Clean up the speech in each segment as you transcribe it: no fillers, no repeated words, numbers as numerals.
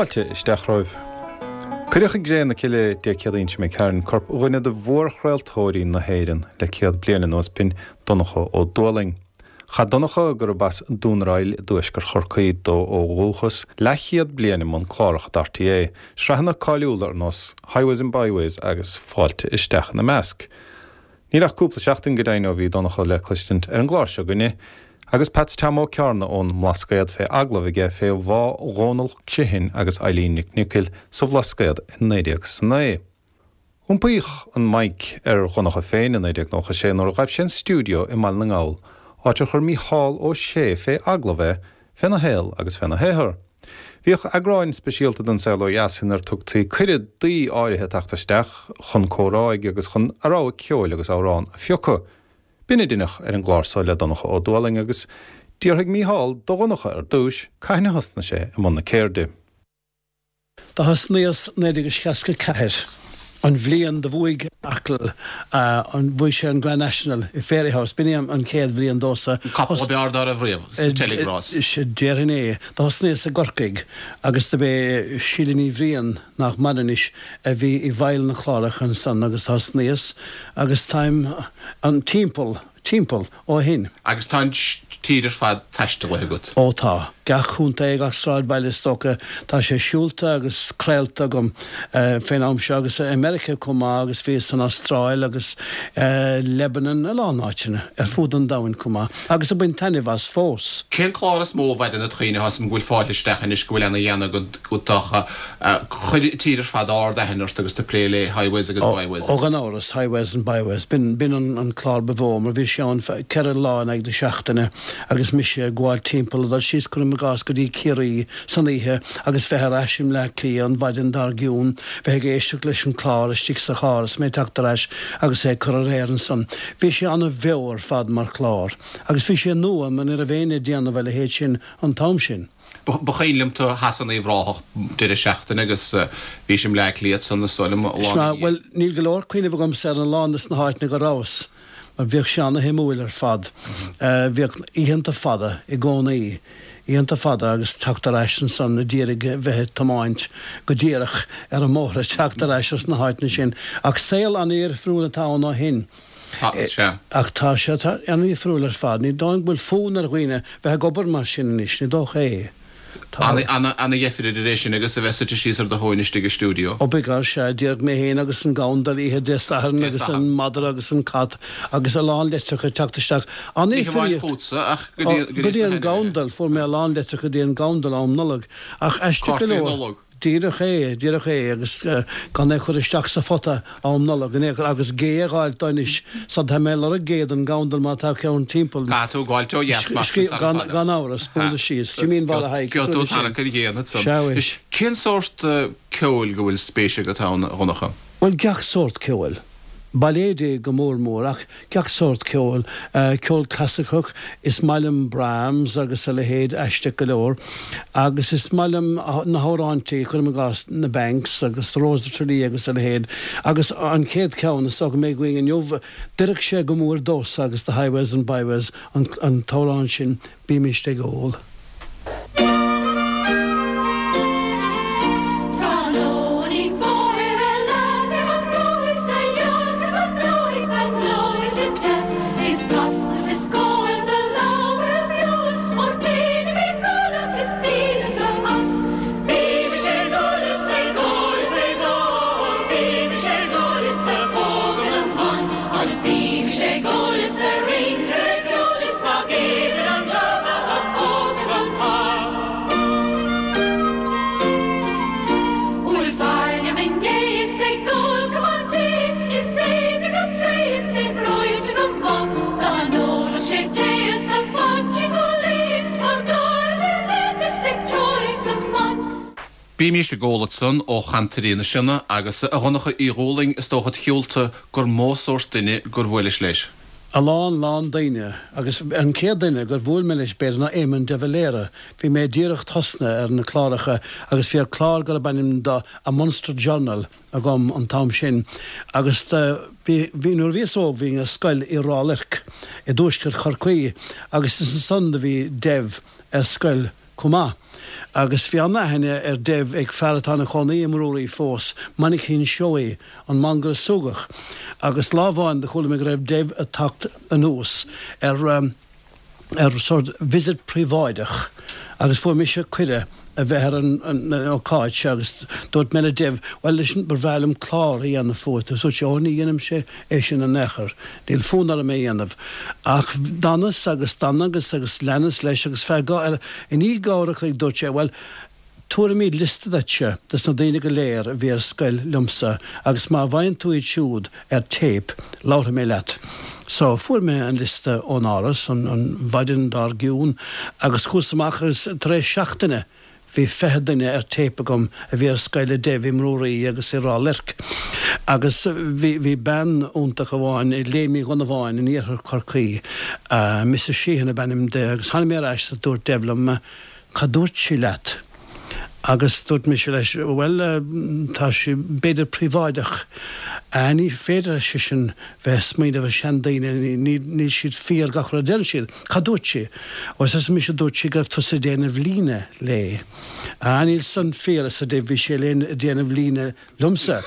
Fáilte isteach romhaibh. Cuireadh i gcré na cille Dé Céadaoin seo imigh tharainn corp dhuine de mhórchraoltóirí na hÉireann le 100 bliain anuas, b'in Donncha Ó Dúlaing. Chaith Donncha, gurb as Dún ar Aill i dtuaisceart Chorcaí dó ó dhúchas, leathchéad bliain i mbun cláracha d'RTÉ, sraitheanna cáiliúla ar nós Highways and Byways agus Fáilte Isteach ina measc. Níl ach cúpla seachtain go deimhin ó bhí Donncha le cloistint ar an gclár seo againne agus Peats Tom Ó Cearna ón mBlascaod fé agallamh aige fé bhá Dhónal Criomhthain agus Eileen Nic Niocaill sa Bhlascaod i 1909. Iompaíodh an mic ar Dhonncha féin i 1996 nuair a ghaibh sé an stiúideo i mBaile na nGall, áit ar chuir Mícheál Ó Sé fé agallamh é féna shaol agus féna shaothar. Bhíodh eagráin speisialta den Saol Ó Dheas inar tugtaí cuireadh d'aoi áirithe teacht isteach chun comhráidh agus chun a rogha ceoil agus amhrán a phiocadh. B'in a deineadh ar an gclár so le Donncha Ó Dúlaing agus d'fhiafraigh Mícheál do Dhonncha ar dtúis cathain a thosnaigh sé i mbun na ceirde. Do thosnaíos 1964, an bhliain do bhuaigh Arkle, an, bhuaigh sé an Grand National i Fairyhouse, b'in é an chéad bhliain domhsa. An capall ab fhearr dá raibh riamh sa tseilg-rás. Déarfainn é. Do thosnaíos i gCorcaigh agus do b'é Síle Ní Bhriain, nach maireann anois, a bhí i bhfeighil na cláracha ansan agus do thosnaíos agus táim an timpeall, timpeall ó shin. Agus tá an tír ar fad taistealaithe agat. Ó tá. Gach contae, gach sráidbhaile is dócha. Tá sé siúlta agus craolta agam fén am seo agus i Meiriceá chomh maith agus bhíos san Astráil agus Lebanon, a lán áiteanna ar fud an domhain chomh maith agus ag baint taitneamh as fós. Cén clár is mó a mhaireann id chuimhne? Tá 'fhios a'm go bhfuil Fáilte Isteach anois go bhfuil ana dhéanamh agat ach Chuir an tír ar fad ard aithne ort agus tú ag plé le Highways agus Byways. Ó gan amhras, Highways and Byways. B'in, b'in an clár ba mhó mar bhí sé ann 4 lá in aghaidh na seachtaine agus mise ag gabháil timpeall, ag dul síos cuirim i gcás go dtí Ciarraí san oíche agus bheith ar ais i mBleá Cliath an mhaidin dár gcionn, bheith ag éisteacht leis an clár istigh sa charr is mé ag teacht ar ais agus é ag cur ar aer ansan. Bhí sé ana-bheo ar fad mar chlár agus bhí sé nua mar ní raibh éinne ag déanamh a leithéid sin an t-am sin. Ba chuimhin liom tú theas in Uíbh Ráthach deireadh seachtaine agus bhís i mBleá Cliath ansan is dóigh liom lá ina dhiaidh. Bhuel, níl go leor cuimhneamh agamsa ar a lán des na háiteanna go rabhas, mar bhíodh sé ana-shuimiúil ar fad. Bhíodh oícheanta fada i gcónaí, oícheanta fada agus teacht ar ais ansan a d'iarraidh bheith ag tiomáint go díreach ar an mbóthar ag teacht ar ais os na háiteanna sin. Ach saol ana-dhifriúil atá ann ó shin. Sea. Ach tá sé an-dhifriúil ar fad. Ní dóigh go bhfuil fonn ar dhaoine bheith ag obair mar sin anois, ní dócha é. Tá. Ana-dheifir idir é sin agus a bheith suite síos ar do thóin istigh i stiúideo. Ó b'fhéidir, sea, díreach mé féin agus an gandal oíche Dé Sathairn agus an madra agus an cat agus a lán litreacha ag teacht isteach. Ní hamháin chugatsa ach go dtí Go dtí an gandal, fuair mé a lán litreacha go dtí an gandal am Nollag. Ach aisteach go leor. Cártaí Nollag. Díreach é, díreach é, agus gan é a chur isteach sa phota am Nollag in aon chor, agus gé a dh'fháilt dó anois, so tá mé ag lorg gé don ghandal má tá ceann timpeall. Caithfidh tú gabháilt ó dheas mar sin sara fada. Gan amhras, bualadh síos. Jimín Mháire Thaidhg, cosúil leis sin. Gheobhaidh tú tarrac ar ghéanna ansan. Sea, bhuel. Cén sórt ceoil go bhfuil spéis agat ann, a Dhonncha? Bhuel, gach sórt ceoil. Bailéidí go mór mór, ach gach sórt ceoil. Ceol clasaiceach, is maith liom Brahms agus a leithéid, aisteach go leor. Agus is maith liom na hamhráintí, cuirim i gcás, na Banks agus Rose of Tralee agus a leithéid. Agus an chéad cheann, is dócha go mbeidh againn inniu, d'oirfeadh sé go mór domhsa agus do Highways and Byways, an t-amhrán sin, Bímist ag ól. Bímís ag ól ansan ó Chantairí na Sionna agus a Dhonncha Uí Dhúlaing is dócha id shiúlta gur mó sórt duine gur bhuailis leis. A lán, lán daoine. Agus an chéad duine gur bhuail mé leis b'fhéidir ná Éamon de Valera. Bhí mé díreach tosnaithe ar na cláracha agus bhíodh clár gurb ainm do A Munster Journal agam an t-am sin agus do bhí, bhí, nuair a bhíos óg bhínn ar scoil i Ráth Luirc i dtuaisceart Chorcaí agus is ansan do bhí Dev ar scoil chomh maith. Agus bhí an-aithne ar Dev ag fear atá ina chónaí i mBrúraí fós, Mainchín Seoighe, an mangaire súgach. Agus lá amháin do chuala mé go raibh Dev ag teacht anuas ar, ar sort visit príobháideach agus fuair mise cuireadh a bheith ar an ócáid seo agus dúirt mé le Dev, bhuel leis, ba bhreá liom clár a dhéanamh fút agus dúirt sé, ó ní dhéanaimse é sin in aon chor, níl fonn orm é a dhéanamh. Ach d'fhanas agus d'fhanas agus leanas leis agus feadh, i ndiaidh uair a chloig dúirt sé, bhuel, Tabharfaimid liosta duitse des na daoine go léir a bhí ar scoil liomsa agus má bhfaigheann tú iad siúd ar téip, labharfaidh mé leat. So, fuair mé an liosta ón Áras an mhaidin dár gcionn agus chuas amach agus tar éis seachtaine bhí 20 duine ar téip agam a bhí ar scoil le Dev i mBrúraí agus i Ráth Luirc. Agus bhí, bhí bean iontach amháin i Léim Uí Dhonnabháin in iarthar Chorcaí, Mrs Sheehan ab ainm di agus tháinig mé ar ais is dúirt Dev liom, Cad dúirt sí leat? Agus dúirt mise leis, Bhuel, tá sí b'fhéidir príobháideach. Ní féidir, ar seisean, bheith ag smaoineamh ar seandaoine, níl siad fíor gach rud a deireann siad. Cad dúirt sí? Ó, arsa mise, dúirt sí go raibh tusa ag déanamh líne léi. Ah, níl san fíor, arsa Dev, bhí sí ag déanamh líne liomsa.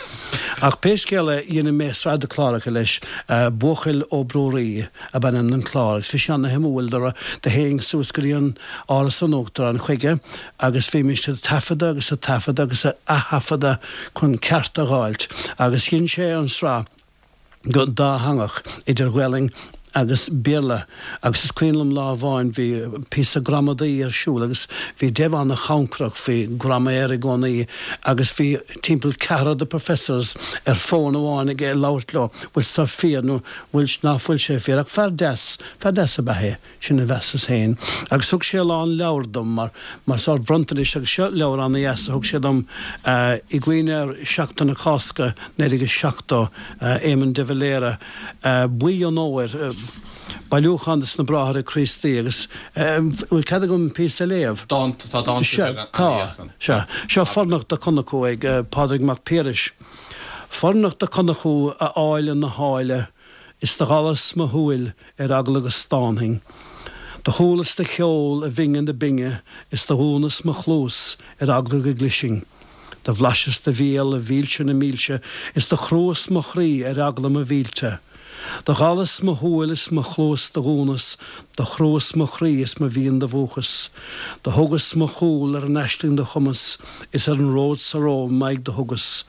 Ach pé scéal é, dhein mé sraith de chláracha leis, Buachaill ó Brúraí ab ainm don chlár, agus bhí sé ana-shuimiúil, do théinn suas go dtí an Áras an Uachtaráin chuige agus bhímis ag taifeadadh agus ag taifeadadh agus ag ath-thaifeadadh chun ceart a dh'fháilt, agus dhein sé an sraith. go dátheangach, idir Ghaelainn agus Béarla, agus is cuimhin liom lá amháin bhí píosa gramadaí ar siúl agus bhí Dev ana-chancrach faoi graiméar i gcónaí agus bhí timpeall ceathrar de professors ar fón amháin aige ag labhairt leo, bhfuil seo fíor nó bhfuil, ná fuil sé fíor, ach fear deas, fear deas ab ea é. Sin a mheasas féin. Agus thug sé a lán leabhar dom mar, mar sórt bronntanais agus seo leabhar ana-dheas a thug sé dom i gcuimhne ar Sheachtain na Cásca 1970, Éamon de Valera, Buí an Fhómhair, bailiúchán de na Bráithre Críostaí agus bhfuil cead agam píosa a léamh? Dánta, tá dánta Sea, beaga tá. ana-dheas ann. Sea. Seo Fornocht do Chonchú ag Pádraig Mac Piarais. Fornocht do Chonchú a áille na háille, Is do dhallas mo shúil ar eagla go stánfainn. Do chualas do cheol, a bhinge na binge, is do dhúnas mo chluas ar eagla go gclisfinn. Do bhlaiseas do bhéal, a mhílse na mílse, is do chruas mo chroí ar eagla mo mhillte. Do dhallas mo shúil is mo chluas do dhúnas, do chruas mo chroí is mo mhian do mhúchas. Do thugas mo chúl ar an aisling do chumas, is ar an ród so romham m'aghaidh do thugas.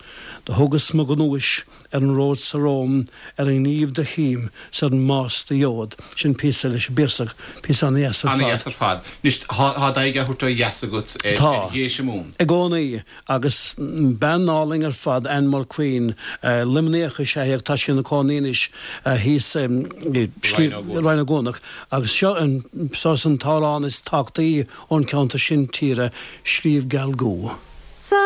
Do thugas mo ghnúis ar an ród so romham, ar an ngníomh do chím 's ar an mbás do gheobhad. Sin píosa leis an bPiarsach, píosa ana-dheas ar fad. Ana-dheas ar fad. Anois, tá d'aghaidh á thabhairt ó dheas agat ar Dhéise Mumhan. Tá. I gcónaí. Agus bean álainn ar fad, Ann Mulqueen. Luimníoch is ea í ach tá sí ina cónaí anois thíos i Rinn Ó gCuanach. Agus seo an, saghas an t-amhrán is tábhachtaí ón cheantar sin tíre, Sliabh Geal Gú. Sa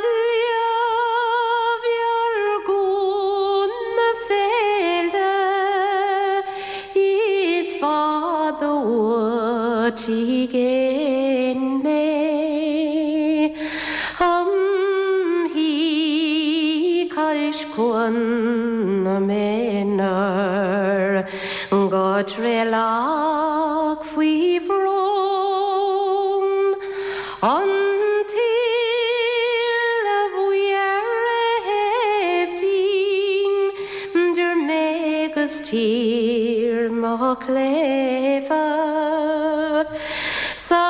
Shliabh Gheal Gú na féile is fada uait i gcéin mé. Im shuí cois Cuan na Méanar go Traolach faoi bhrón. An tuile bhuí ar a thaobh dínn 'dir mé 'gus tír mo chléibhe Sa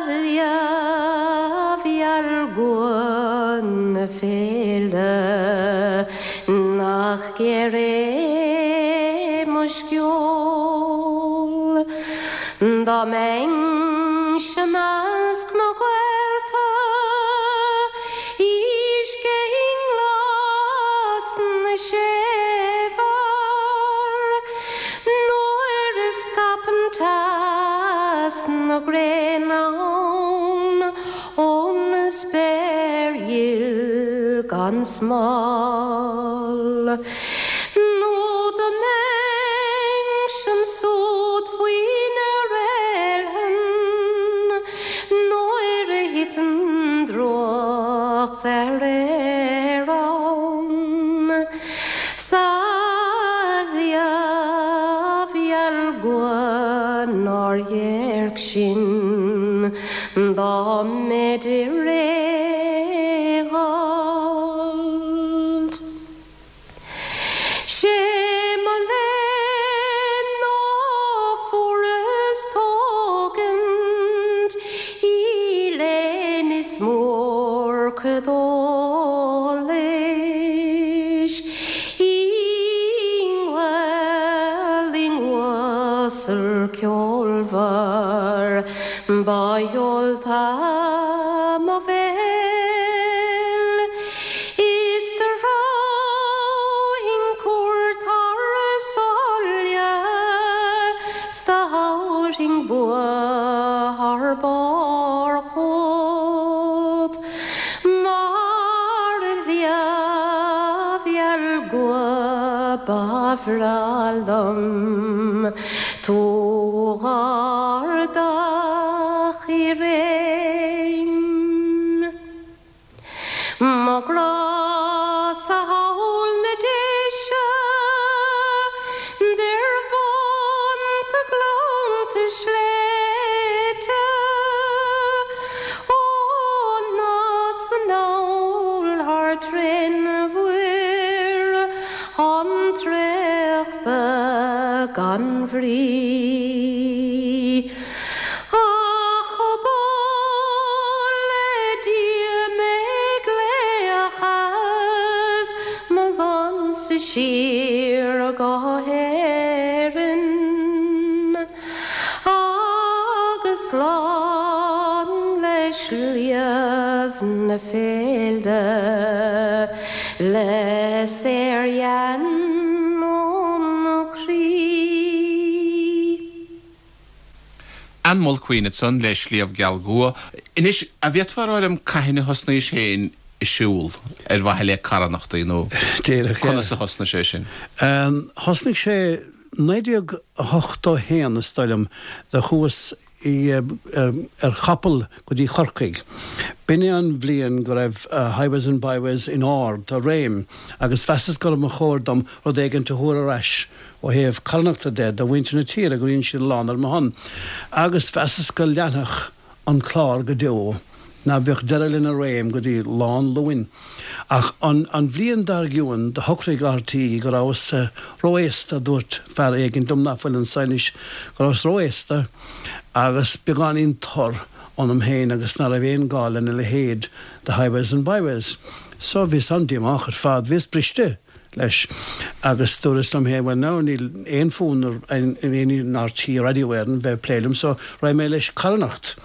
Shliabh Gheal Gú na féile Nach géar é mo sceol Dá mbeinnse 'measc mo ghaolta Uisce i nglas na séimhear Nuair a scaipeann teas na gréine ann Ón spéir ghil gan smál. Nó dá mbeinnse ansúd faoi na réalthain Nuair a thiteann drúcht ar fhéar ann Sa Shliabh Gheal Gú nár dhéirc sinn. Fómhar ba sheolta mo bhéal is do threabhfainn cuairt thar sáile 's do thabharfainn bua thar barr chugat mar shliabh gheal gCua ba bhreá liom tú dh'ardach i réim. Mo ghrá-sa thall na Déise 'dir bhonnta gleannta sléibhte ó 'nas anall thar trén-mhuir an traochta gan bhrí. Ach ba le Dia mé glaoch as mo lannsa siar go hÉirinn agus slán le Sliabh na Féile le saordhean óm chroí. Ann Mulqueen ansan le Sliabh Geal gCua. Anois, a' bhféadfá a rá liom cathain a thosnaís féin a' siúl ar mhaithe le carthanachtaí nó conas a thosnaigh sé sin? Thosnaigh sé 1981 is dóigh liom, do chuas ar chapall go dtí Chorcaigh. B'in é an bhliain go raibh Highways and Byways in ard a réim agus mheasas go mba chóir dom rud éigint a thabhairt ar ais ó thaobh carthanachta de do mhuintir na tíre go rinne siad a lán ar mo shon agus mheasas go leanfadh an clár go deo, ná beadh deireadh lena réim go dtí Lá an Luain. Ach an an bhliain dár gcionn do shocraigh RTÉ go rabhas ró-aosta, dúirt fear éigin liom nach bhfuil anso anois, go rabhas ró-aosta agus beagáinín tur ionam féin agus ná raibh aon gá lena leithéid de Highways and Byways. So bhíos an-díomách ar fad, bhíos briste. leis agus dúras liom féin, bhuel now níl aon fonn ar aon RTÉ Radio Éireann bheith ag plé liom so raghaidh mé leis carthanacht.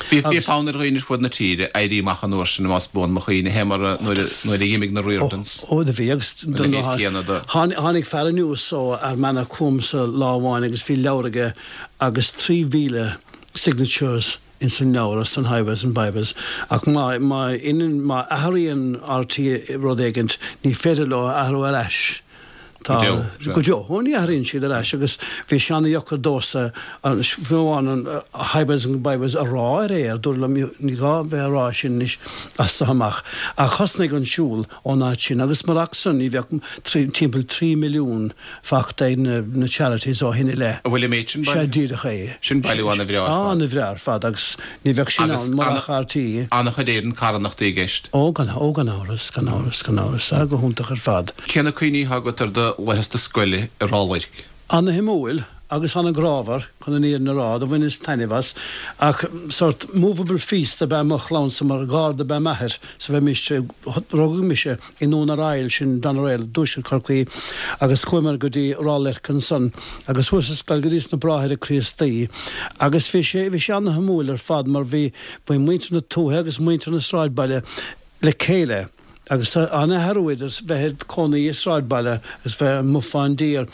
Bhí fonn ar dhaoine ar fud na tíre éirí amach an uair sin más buan mo chuimhne fé mar nuair a dh'imigh na Riordans. Ó do bhí agus tháinig fear anuas ó Fhear Manach chugamsa lá amháin agus bhí leabhar aige agus 3,000 signatures ins an leabhar ar son Highways and Byways ach má má má athraíonn RTÉ rud éigint ní féidir leo a athrú ar ais. Tá, Go deo, sea. Go deo. Ó ní athraíonn siad ar ais agus bhí sé ana-dheacair domhsa fiú amháin an Highways and Byways a rá ar aer, dúradh liom ní gá bheith a rá sin anois as so amach. Ach thosnaigh an siúl ón áit sin agus murach san ní bheadh timpeall 3 milliún fachta ag na charities ó shin i leith. An bhfuil an méid sin bailithe? Sea, díreach é. Sin bailiú ana-bhreá ar fad. Ana-bhreá ar fad agus ní bheadh sin ann murach RTÉ. Ana-chuid Éireann carthanachtaí i gceist. Ó, gan, ó gan amhras, gan amhras, gan amhras. Ah, go hiontach ar fad. Cé na cuimhní atá agat ar do laethanta scoile i Ráth Luirc? Ana-shuimiúil agus ana-ghrámhar, chun an fhírinne a rá, do bhaineas taitneamh as. Ach sórt movable feast ab ea mo chlannsa mar gharda ab ea m'athair so bheimis, rugadh mise i nDún Ar Aill, sin Doneraile, i dtuaisceart Chorcaí, agus chuamar go dtí Ráth Luirc ansan agus chuas ar scoil go dtí sna Bráithre Críostaí agus bhí sé, bhí sé ana-shuimiúil ar fad mar bhí, bhí muintir na tuaithe agus muintir na sráidbhaile le chéile agus tá an-athrú idir bheith id chónaí i sráidbhaile agus bheith amuigh fán dtír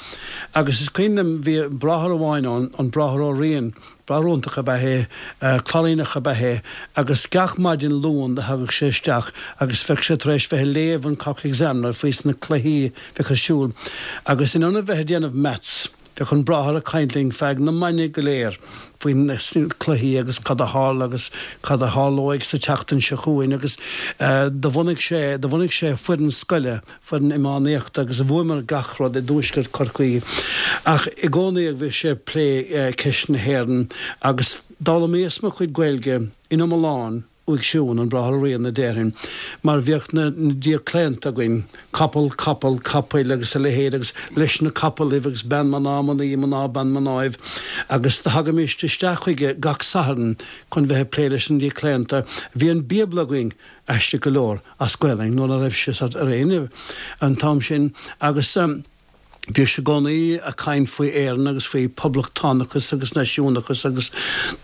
agus is cuimhin liom bhí bráthair amháin ann, an Bráthair Ó Riain, Bráthair iontach ab ea é, Cláiríneach ab ea é agus gach maidin Luan do thagadh sé isteach agus bheadh sé tar éis bheith ag léamh an Cork Examiner faoi sna cluichí bheadh ar siúl agus in ionad bheith ag déanamh maths bheadh an bráthair ag caint linn feadh na maidne go léir faoi na cluichí agus cad a tharla agus cad a tharlóidh sa tseachtain seo chugainn agus do bhunaigh sé, do bhunaigh sé foireann scoile foireann iománaíochta agus bhuamar gach rud i dtuaisceart Chorcaí ach i gcónaí bhí sé ag plé ceist na hÉireann agus d'fhoghlaimíos mo chuid Gaeilge in iomlán uaidh siún, an Bráthair Ó Riain a déarfainn, mar bhíodh na díochlaonta againn, capall, capaill, capaill agus a leithéid agus leis na capallaibh agus bean mná mnaoi mná bean mnáibh agus do thagaimíst isteach chuige gach Satharn chun bheith ag plé leis na díochlaonta. Bhí an Bíobla againn aisteach go leor, as Gaelainn, nuair ná raibh sé ar éinne an t-am sin agus. Bhíodh sé i gcónaí a' caint faoi Éirinn agus faoi poblachtánachas agus náisiúnachas agus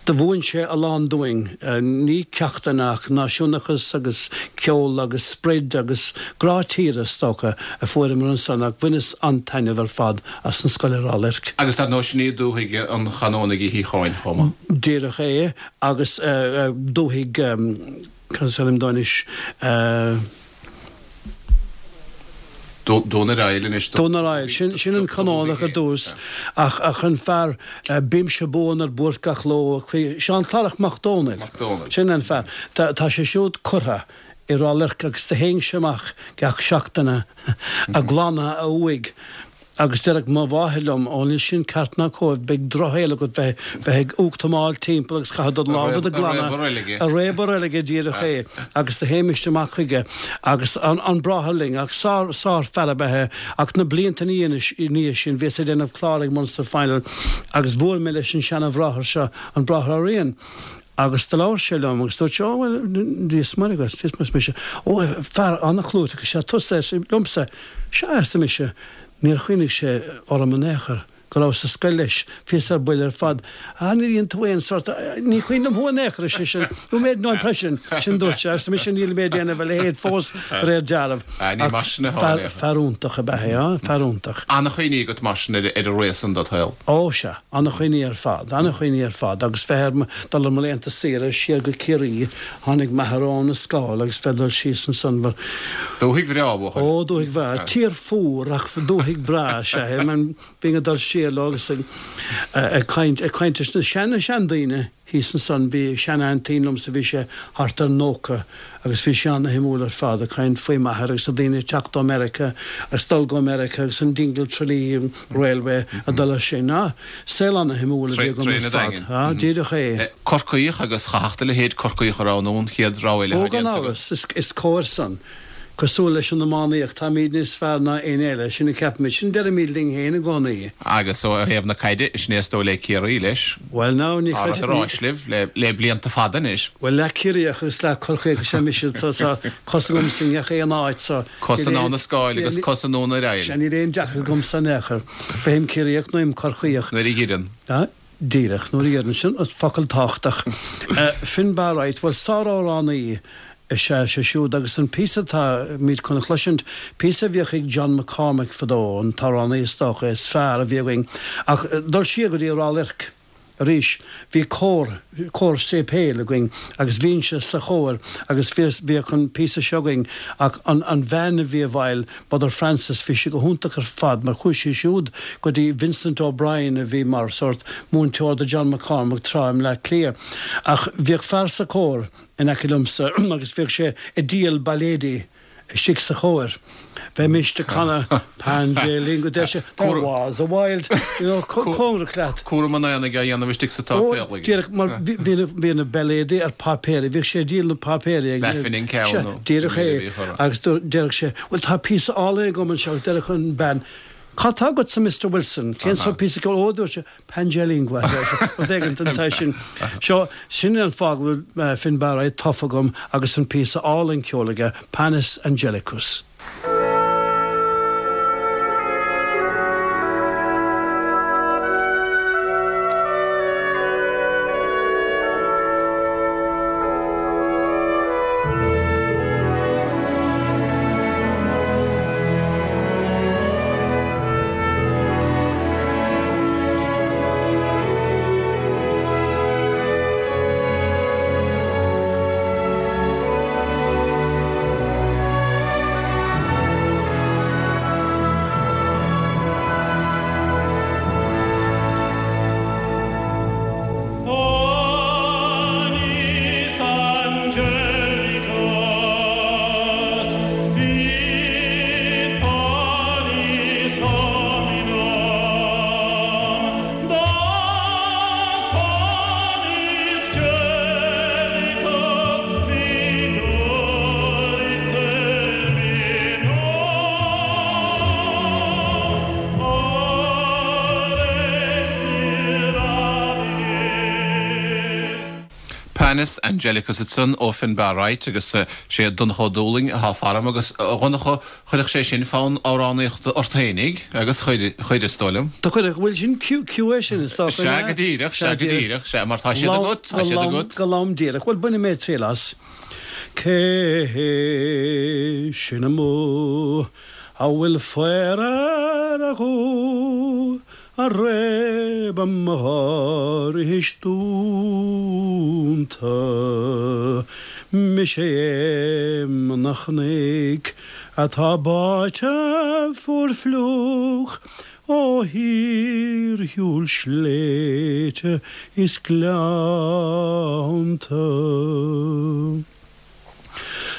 do mhúin sé a lán dúinn, ní ceachtanna ach náisiúnachas agus ceol agus sprid agus grá tíre is dócha a fuaireamar ansan ach bhaineas an-taitneamh ar fad as an scoil i Ráth Luirc. Agus dar ndóigh sin í dúthaigh an Chanónaigh Uí Shíocháin chomh maith. Díreach é agus dúthaigh, cad is ainm dó anois, Dún ar Aill anois. Dún ar Aill, sin an Canónach ar dtús ach an fear Bímse buan ar buairt gach ló, Seán Clárach Mac Dónaill, sin an fear. Tá sé siúd curtha i Ráth Luirc agus do théinnse amach gach seachtaine a' glanadh a uaigh Agus déarfadh mo mháthair liom, Ó, níl sin ceart ná cóir, beidh drochshaol agat bheith, bheith ag uchtamáil timpeall agus caithfidh do lámha do ghlanadh. A réabadh reilige, díreach é. Agus do théimist amach chuige agus an, an bráthair linn, ach sár, sár-fhear ab ea é. Ach na blianta ina dhiaidh sin, bhíos ag déanamh clár ag Munster Final agus bhuail mé leis an seana-bhráthair seo, an Bráthair Ó Riain. Agus do labhair sé liom agus dúirt sé, Ó, bhuel, Dia is Muire agat, Dia is Muire, arsa mise. Ó, fear an-chlúiteach is ea tusa, ar sé liomsa. Sea, arsa mise. Níor chuimhnigh sé orm in aon chor, go rabhas sa scoil leis. Bhíos ar buile ar fad. Ah, níor dhein tú aon sort, ní cuimhin liom thú in aon chor, ar seisean. You made no impression. Sin dúirt sé. Arsa mise, níl mé ag déanamh a leithéid fós, de réir dealraimh. Ah, ní mar sin atá in aon chor. Fear iontach ab ea é, ah, fear iontach. An-chuimhní agat mar sin ar an ré san dod shaol. Ó, sea. An-chuimhní ar fad, an-chuimhní ar fad agus bheith ar, dul ar mo laethanta saoire siar go Ciarraí, tháinig m'athair ón Ascaill agus bheith dul síos ansan mar. Dúthaigh bhreá, a bhuachaill. Ó, dúthaigh bhreá. Tír fuar ach dúthaigh breá, sea. Bhínn ag dul siar leo agus ag caint, ag caint leis na sean, seandaoine. Thíos ansan bhí sean-aintín liomsa, bhí sé thart ar 90 agus bhí sí ana-shuimiúil ar fad, ag caint faoi m'athair agus na daoine ag teacht ó Meiriceá agus dul go Meiriceá agus an Dingle Tralee Railway ag dul ar sin. Ah, saol ana-shuimiúil a bhí agam ar fad. Ah, díreach é. Corcaíoch agus chaithfeadh do leithéid Corcaíoch a roghnú an chéad rogha eile atá déanta agat. Ó, gan amhras, is cóir san. Cosúil leis an iománaíocht, táimid níos fearr ná éinne eile, sin a ceapaimid, sin a deirimid linn féin i gcónaí. Agus ó thaobh na caide, sin é is dóigh le Ciarraí leis. Bhuel now, ní chreidim. Tá rud ar áis libh le blianta fada anois. Bhuel, leath Ciarraíoch agus leath Corcaíoch is ea mise, tá cos agamsa i ngach aon áit so. Cos anonn an Scáil agus cos i nDún ar Aill. Sea, níl aon deacracht agamsa in aon chor. Bheinn Ciarraíoch nó Corcaíoch. Nuair a dh'iarrann. Díreach, nuair a dh'iarrann. Sin focal tábhachtach. Finbar Wright, bhuel, sár-amhránaí is ea sé siúd agus an píosa atáimid chun a chloisint, píosa a bhíodh ag John McCormack fadó, an t-amhránaí is dócha is fearr a bhí againn. Ach dul siar go dtí Ráth Luirc arís, bhí cór, cór séipéil againn agus bhínnse sa chór agus bhíodh an píosa seo againn ach an, an bhean a bhí i bhfeighil, Mother Frances, bhí sí go hiontach ar fad mar chuaigh sí siúd go dtí Vincent O'Brien a bhí mar sórt múinteoir do John McCormack tráth i mBleá Cliath. Ach bhíodh fear sa chór in aice liomsa agus bhíodh sé ag díol bailéidí istigh sa chór. Bheimist ag canadh Pange Lingua deir sé There was a wild, you know, cóngarach leat. Cúram an aonaigh á dhéanamh istigh sa tsáipéal aige. Díreach mar bhí na bailéidí ar páipéirí, bhíodh sé ag díol na páipéirí ag. Leathphingin an ceann nó. Díreach é. Agus déarfadh sé, Bhuel, tá píosa álainn agam anseo. Agus déarfadh an bhean, Cad tá agatsa, Mister Wilson? Cén sórt píosa ceoil? Ó, dúirt sé, Pange Lingua, a deir sé. Rud éigin den tsaghas sin. Seo, sin é an fáth go bhfuil Finbar Wright tofa agam agus an píosa álainn ceoil aige, Panis Angelicus. Satanus Angelicus ansan ó Finbar Wright agus sé Donncha Ó Dúlaing atá faram agus a Dhonncha chuirfeadh sé sin fonn amhránaíochta ort fhéinig agus chuir, chuir is dóigh liom. Do chuirfeadh, bhuel sin cue é sin is dócha, Sea go díreach, sea go díreach, sea mar tá siad agat, tá siad agat. Go lom díreach, bhuel bainfidh mé triail as. Cé hé sin amuigh a bhfuil faobhar ar a ghuth A réab mo dhorais dúnta? Mise Éamonn an Chnoic atá báite fuar fliuch ó shíorshiúl sléibhte is gleannta.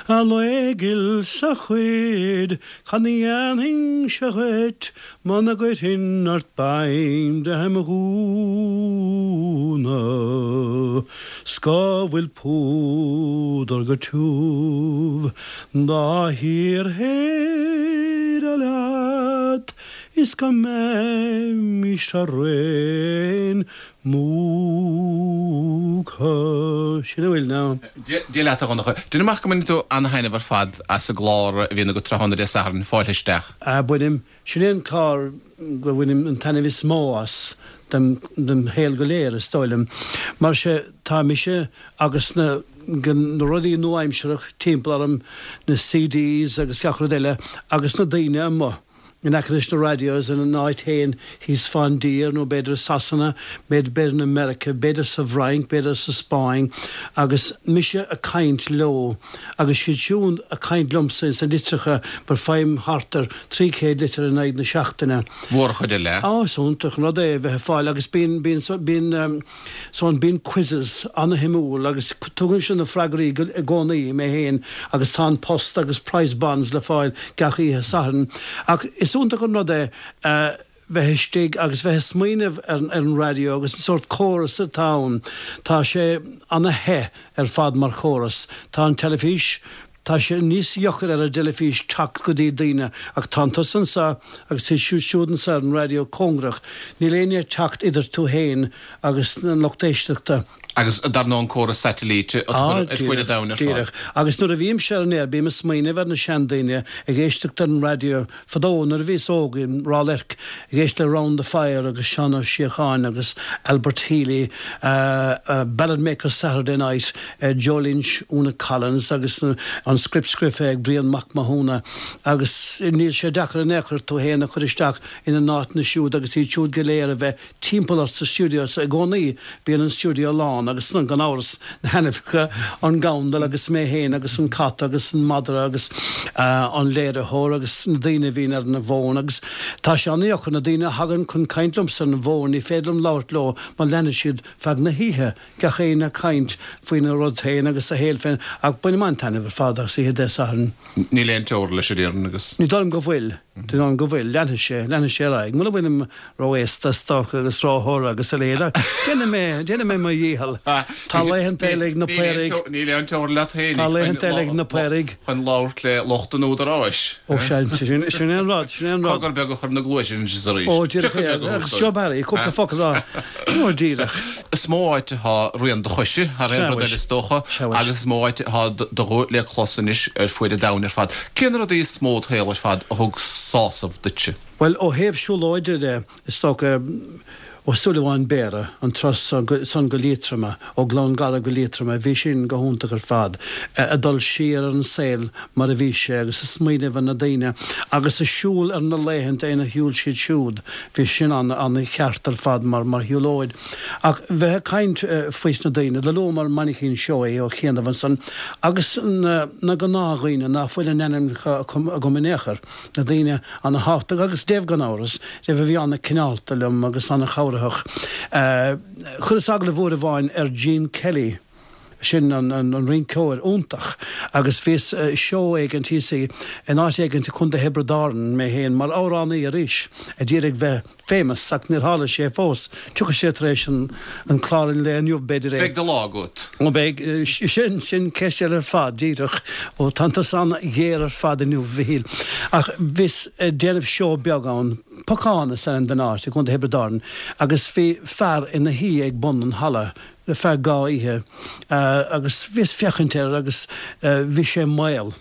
A lao ghil 's a chuid, cad a dhéanfainnse dhuit muna gcuirfinn ort beim de mo ghúna 's go bhfuil púdar go tiubh dá shíorshéideadh leat is go mbeimis araon múctha. Sin a bhfuil ann. Dia leat a Dhonncha. Déanaim amach go mbaineann tú an-thaitneamh ar fad as an gclár a bhíonn agat tráthnóna Dé Sathairn, Fáilte Isteach. Ah, bainim. Sin é an clár go bhainim an taitneamh is mó as dem shaol go léir, is dóigh liom. Mar sé, tá mise agus na na rudaí nua-aimsearach timpeall orm, na CDs agus gach rud eile, agus na daoine amuigh. in aice leis na radios ina n-áit féin thíos fán dtír nó b'fhéidir i Sasana, b'fhéidir in America, b'fhéidir sa bhFrainc, b'fhéidir sa Spáinn agus mise a' caint leo agus siad siúd a' caint liomsa ins na litreacha mar faighim thart ar 300 litir in aghaidh na seachtaine. Mhór an chuid eile. Á, is iontach an rud é a bheith ag fáil agus bíonn, bíonn, bíonn. So bíonn quizzes ana-shuimiúil agus tugaimse na freagraí i gcónaí, mé féin, agus tá an post agus prize bonds le fáil gach oíche Sathairn. Ach is iontach an rud é bheith istigh agus bheith ag smaoineamh ar an raidió agus an sórt córas atá ann. Tá sé ana-the ar fad mar chóras. Tá an teilifís Tá sé níos deacair ar an dteilifís teacht go dtí daoine ach tánn tusa anseo agus tá siad siúd anseo ar an raidió cóngarach. Níl éinne ag teacht idir tú féin agus an lucht éisteachta. Agus dar ndóigh an córas satailíte a chur ar fuaid an domhain ar fad. Díreach. Agus nuair a bhímse ar an aer bím ag smaoineamh ar na seandaoine ag éisteacht ar an raidió Fadó nuair a bhíos óg i Ráth Luirc ag éisteacht le Round the Fire agus Seán Ó Síocháin agus Albert Healy, Ballad Makers Saturday Night, Joe Lynch, Una Collins agus an script scriofa ag Brian Mac Mathúna agus níl sé deacair in aon chor tú fhéin a chur isteach ina n-áiteanna siúd agus iad siúd go léir a bheith timpeall ort sa stiúideo so i gcónaí bíonn an stiúideo lán agus gan amhras na hainmneacha, an gandal agus mé féin agus an cat agus an madra agus an léiritheoir agus na daoine a bhíonn ar an bhfón agus tá sé an-dheacair, na daoine a thagann chun caint liomsa ar an bhfón ní féidir liom labhairt leo mar leanfaidh siad feadh na hoíche, gach éinne ag caint faoina rud féin agus a shaol féin ach bainim an-taitneamh ar fad as oíche Dé Sathairn. Níl aon teora leis a déarfainn agus. Ní dóigh liom go bhfuil. Ní dóigh liom go bhfuil. Leanfaidh sé, leanfaidh sé ar aghaidh. Mura bhfuilim ró-aosta is dócha agus róthoir agus a leithéid ach déanfaidh mé, déanfaidh mé mo dhícheall. Tá laethanta eile ag na Paoraigh. Níl aon teora leat féin. Tá laethanta eile ag na Paoraigh. Chun labhairt le lucht an údaráis. Ó sea, sin é an rud, sin é an rud. Cogar beag a chur ina gcluaise anois is arís. Ó díreach é, agus Joe Barry, cúpla focal a rá. Ó díreach. Is mó áit atá rian do choise thar aon rud eile is dócha agus is mó áit atá do ghuth le clos anois ar fuaid an domhain ar fad. Cé na rudaí is mó id shaol ar fad a thug sásamh duitse? Bhuel, ó thaobh siúlóide de, is dócha, Ó Súilleabháin Béarra, an turas san go Liatroma, ó Ghleann Garbh go Liatroma, bhí sin go hiontach ar fad, ag dul siar ar an saol mar a bhí sé agus ag smaoineamh ar na daoine agus ag siúl ar na laethanta ina shiúil siad siúd, bhí sin an-cheart ar fad mar shiúlóid. Ach bheith ag caint faois na daoine, do luamar Mainchín Seoighe ó chianaibh ansan agus na gnáthdhaoine ná fuil a n-ainmneacha agam in aon chor. na daoine ana-thábhachtach agus Dave gan amhras, Dave a bhí ana-cineálta liom agus ana-chabhraitheach. Chuireas agallamh uair amháin ar Gene Kelly, sin an rinceoir iontach, agus bhíos i seó éigint thíos in áit éigint i Contae Thiobraid Árann, mé féin mar amhránaí arís, a d'iarraidh bheith famous ach níor tharla sé fós. Tiocfaidh sé tar éis an clár an lae inniu, b'fhéidir é. Beidh do lá agat. Ó beidh, sin, sin ceist eile ar fad, díreach. Ó tánn tusa an-ghéar ar fad inniu, a Mhichíl. Ach bhíos ag déanamh seó beag ann, Pocán is ainm don áit, i gContae Thiobraid Árann, agus bhí fear ina shuí ag bun an halla. Ar feadh dha oíche agus bhíos féachaint air agus bhí sé maol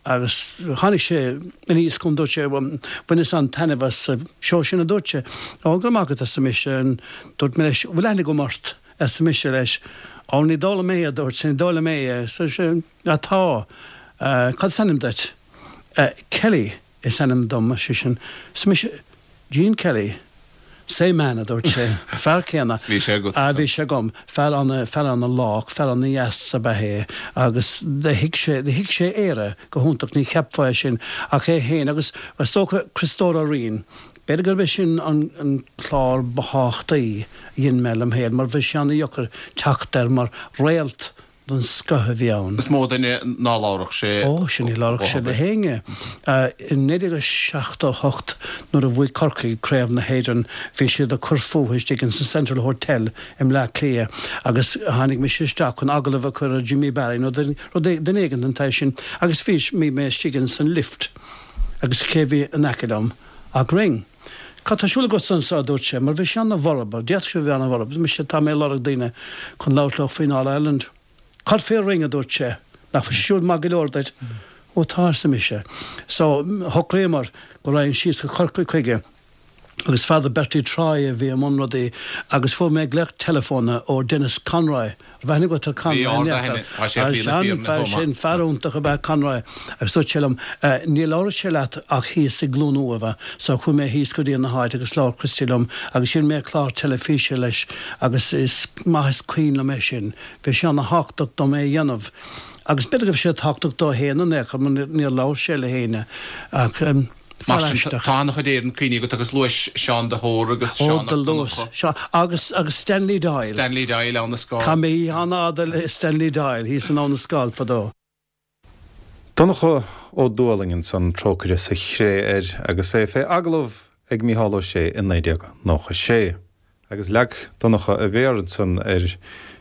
agus tháinig sé aníos chugam dúirt sé bhaineas an-taitneamh as an seó sin a dúirt sé. Ó go raibh maith agat arsa mise and dúirt mé leis bhfuil aithne agam ort arsa mise leis. Ó ní dóigh liom é a dúirt sé ní dóigh liom é arsa sé ah tá cad is ainm duit? Kelly is ainm dom, ar seisean. Arsa mise, Gene Kelly. Same man, a dúirt sé. Fear céanna. Bhí sé agat. Ah, bhí sé agam. Fear ana, fear ana lách, fear ana dheas ab ea é agus do thuig sé, do thuig sé Éire go hiontach, ní cheapfá é sin ach é féin agus is dócha Criostóir Ó Riain, b'fhéidir gurb é sin an, an clár ba thábhachtaí a dhein mé lem shaol mar bhí sé ana dheocair teacht air mar réalt den scoth a bhí ann. Is mó duine ná labharfadh sé. Ó, sin, ní labharfadh sé le héinne. I 1978 nuair a bhuaigh Corcaigh Craobh na hÉireann bhí siad ag cur fúthu istigh ins an Central Hotel i mBleá Cliath agus tháinig mise isteach chun agallamh a chur ar Jimmy Barry nó duine éigin den tsaghas sin agus bhí mé istigh ins an lift agus cé bhí in aice liom ach Ring. Cad tá ar siúl agatsa anseo, a dúirt sé, mar bhí sé ana-bhorb, d'fhéadfadh sé a bheith ana-bhorb. Mise, tá mé ag lorg daoine chun labhairt leo faoin All Ireland. Cad fé Ring, a dúirt sé, nach bhfuil sé siúd maith go leor duit? Ó tá, arsa mise. So, shocraíomar go raghainn síos go Corcaigh chuige agus Father Bertie Troy a bhí i mbun rudaí agus fuair mé glaoch teileafóna ó Denis Conroy, Raibh aithne agat ar Conroy Bhí ard-aithne. Tá sé ar shlí na fírinne chomh maith. Sin fear iontach ab ea Conroy agus dúirt sé liom, ní labharfaidh sé leat ach thíos i gCluain Uamha. So chuaigh mé thíos go dtí an háit agus labhair Christy liom agus dhein mé clár teilifíse leis agus is maith is cuimhin liom é sin. Bhí sé ana-thábhachtach dom é a dhéanamh agus b'fhéidir go raibh sé tábhachtach dó féin in aon chor mar níor labhair sé le héinne ach. Mar sin, tá an-chuid Éireann cuimhní agat agus luais Seán de hÓr agus Seán Mac Donncha. Ó, agus agus Stanley Doyle. Stanley Doyle, Abha na Scáil. Chaith mé oíche an-fhada le Stanley Doyle thíos in Abha na Scáil fadó. Donncha Ó Dúlaing ansan, trócaire sa chré air, agus é fé agallamh ag Mícheál Ó Sé i 1996. Agus leag Donncha a mhéar ansan ar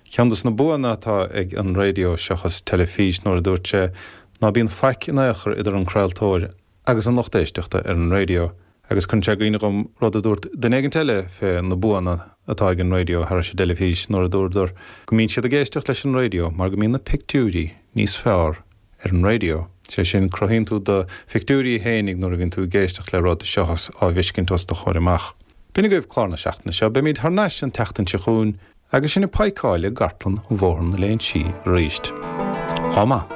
cheann dos na buanna atá ag an raidió seachas teilifís nuair a dúirt sé ná bíonn faic in aon chor idir an craoltóir agus an lucht éisteachta ar an raidió agus cuireann sé i gcuimhne dhom rud a dúirt duine éigint eile fé na buanna atá ag an raidió thairis an dteilifís nuair a dúradar go mbíonn siad ag éisteacht leis an raidió mar go mbíonn na pictiúirí níos fearr ar an raidió. Sé sin, cruthaíonn tú do phictiúirí fhéinig nuair a bhíonn tú ag éisteacht le rud seachas á bhfeiscint os do chomhair amach. B'in agaibh clár na seachtaine seo. Beimid thar n-ais an tseachtain seo chugainn agus sinn ag paidhceáil i gcartlann Bhóthar na Léinsí arís. Lá maith.